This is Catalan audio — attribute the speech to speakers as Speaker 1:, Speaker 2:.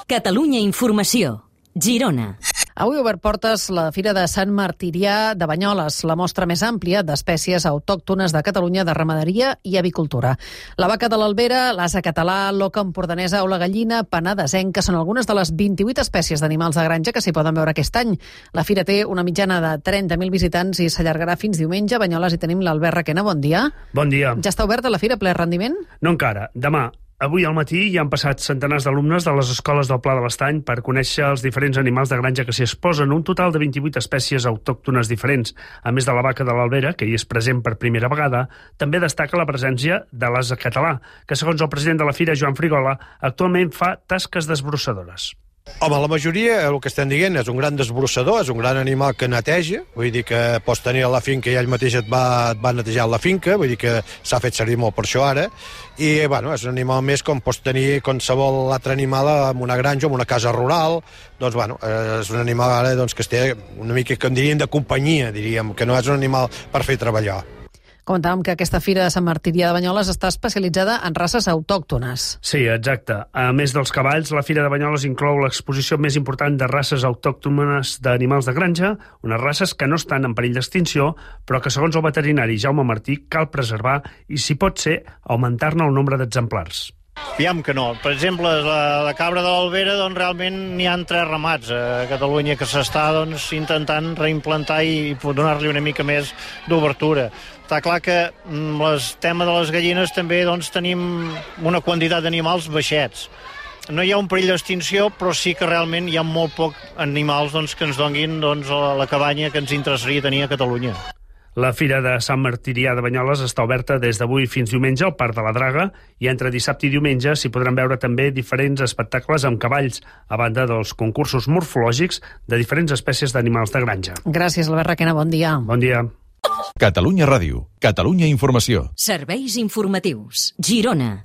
Speaker 1: Catalunya Informació. Girona.
Speaker 2: Avui ha obert portes la Fira de Sant Martirià de Banyoles, la mostra més àmplia d'espècies autòctones de Catalunya de ramaderia i avicultura. La vaca de l'Albera, l'ase català, l'oca empordanesa o la gallina penedesenca són algunes de les 28 espècies d'animals de granja que s'hi poden veure aquest any. La fira té una mitjana de 30.000 visitants i s'allargarà fins diumenge. A Banyoles hi tenim l'Albert Requena. Bon dia.
Speaker 3: Bon dia.
Speaker 2: Ja està oberta la fira ple rendiment?
Speaker 3: No encara. Demà. Avui al matí hi han passat centenars d'alumnes de les escoles del Pla de l'Estany per conèixer els diferents animals de granja que s'hi exposen, un total de 28 espècies autòctones diferents. A més de la vaca de l'Albera, que hi és present per primera vegada, també destaca la presència de l'ase català, que segons el president de la fira, Joan Frigola, actualment fa tasques desbrossadores.
Speaker 4: Home, la majoria, el que estem dient, és un gran desbrossador, és un gran animal que neteja, vull dir que pots tenir a la finca i ell mateix et va netejar la finca, vull dir que s'ha fet servir molt per això ara, i bueno, és un animal més com pots tenir qualsevol altre animal en una granja o en una casa rural. Doncs bueno, és un animal ara doncs, que es té una mica, que en dirien, de companyia, diríem, que no és un animal per fer treballar.
Speaker 2: Comentàvem que aquesta fira de Sant Martirià de Banyoles està especialitzada en races autòctones.
Speaker 3: Sí, exacte. A més dels cavalls, la Fira de Banyoles inclou l'exposició més important de races autòctones d'animals de granja, unes races que no estan en perill d'extinció, però que, segons el veterinari Jaume Martí, cal preservar i, si pot ser, augmentar-ne el nombre d'exemplars.
Speaker 5: Aviam que no. Per exemple, la cabra de l'Albera, doncs, realment n'hi ha 3 ramats a Catalunya que s'està intentant reimplantar i donar-li una mica més d'obertura. Està clar que el tema de les gallines també tenim una quantitat d'animals baixets. No hi ha un perill d'extinció, però sí que realment hi ha molt poc animals que ens donguin la cabanya que ens interessaria tenir a Catalunya.
Speaker 3: La Fira de Sant Martirià de Banyoles està oberta des d'avui fins diumenge al Parc de la Draga i entre dissabte i diumenge s'hi podran veure també diferents espectacles amb cavalls, a banda dels concursos morfològics de diferents espècies d'animals de granja.
Speaker 2: Gràcies, Albert Requena. Bon dia.
Speaker 3: Bon dia.
Speaker 6: Catalunya Ràdio. Catalunya Informació.
Speaker 1: Serveis informatius. Girona.